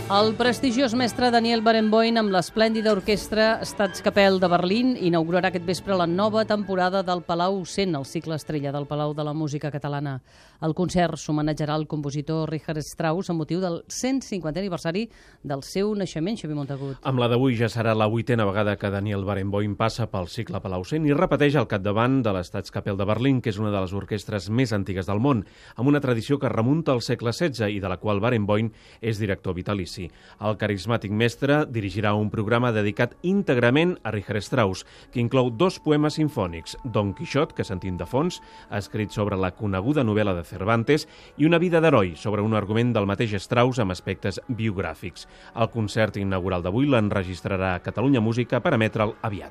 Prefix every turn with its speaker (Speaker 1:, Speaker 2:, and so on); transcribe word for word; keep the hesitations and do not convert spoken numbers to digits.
Speaker 1: El prestigiós mestre Daniel Barenboim amb l'esplèndida orquestra Staatskapelle de Berlín inaugurarà aquest vespre la nova temporada del Palau cent, el cicle estrella del Palau de la Música Catalana. El concert s'homenatjarà al compositor Richard Strauss amb motiu del cent cinquantè aniversari del seu naixement, Xavier Montagut.
Speaker 2: Amb la d'avui ja serà la vuitena vegada que Daniel Barenboim passa pel cicle Palau cent i repeteix al capdavant de l'Staatskapelle de Berlín, que és una de les orquestres més antigues del món, amb una tradició que remunta al segle setze i de la qual Barenboim és director vitalici. El carismàtic mestre dirigirà un programa dedicat íntegrament a Richard Strauss, que inclou dos poemes sinfònics, Don Quixot, que sentim de fons, escrit sobre la coneguda novel·la de Cervantes, i Una vida d'heroi, sobre un argument del mateix Strauss amb aspectes biogràfics. El concert inaugural d'avui l'enregistrarà Catalunya Música per emetre'l aviat.